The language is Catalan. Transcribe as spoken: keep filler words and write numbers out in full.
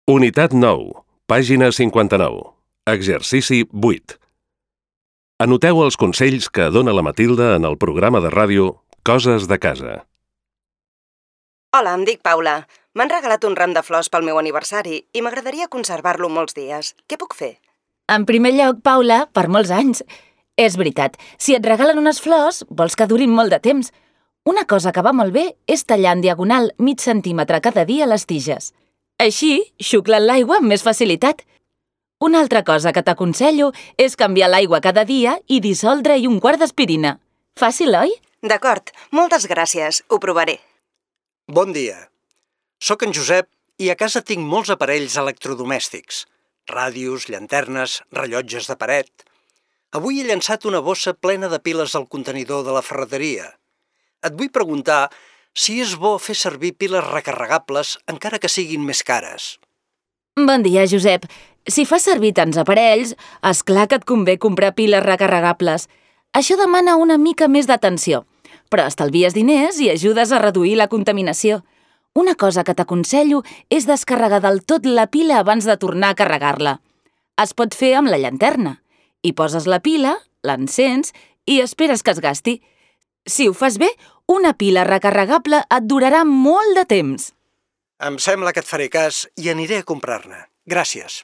Unitat nou, pàgina cinquanta-nou. Exercici vuit. Anoteu els consells que dona la Matilda en el programa de ràdio Coses de casa. Hola, em dic Paula. M'han regalat un ram de flors pel meu aniversari i m'agradaria conservar-lo molts dies. Què puc fer? En primer lloc, Paula, per molts anys. És veritat, si et regalen unes flors, vols que durin molt de temps. Una cosa que va molt bé és tallar en diagonal mig centímetre cada dia les tiges. Així, xuclen l'aigua amb més facilitat. Una altra cosa que t'aconsello és canviar l'aigua cada dia i dissoldre-hi un quart d'aspirina. Fàcil, oi? D'acord, moltes gràcies, ho provaré. Bon dia. Soc en Josep i a casa tinc molts aparells electrodomèstics. Ràdios, llanternes, rellotges de paret. Avui he llançat una bossa plena de piles al contenidor de la ferreteria. Et vull preguntar si és bo fer servir piles recarregables encara que siguin més cares. Bon dia, Josep. Si fas servir tants aparells, és clar que et convé comprar piles recarregables. Això demana una mica més d'atenció, però estalvies diners i ajudes a reduir la contaminació. Una cosa que t'aconsello és descarregar del tot la pila abans de tornar a carregar-la. Es pot fer amb la llanterna. Hi poses la pila, l'encens i esperes que es gasti. Si ho fas bé, una pila recarregable et durarà molt de temps. Em sembla que et faré cas i aniré a comprar-ne. Gràcies.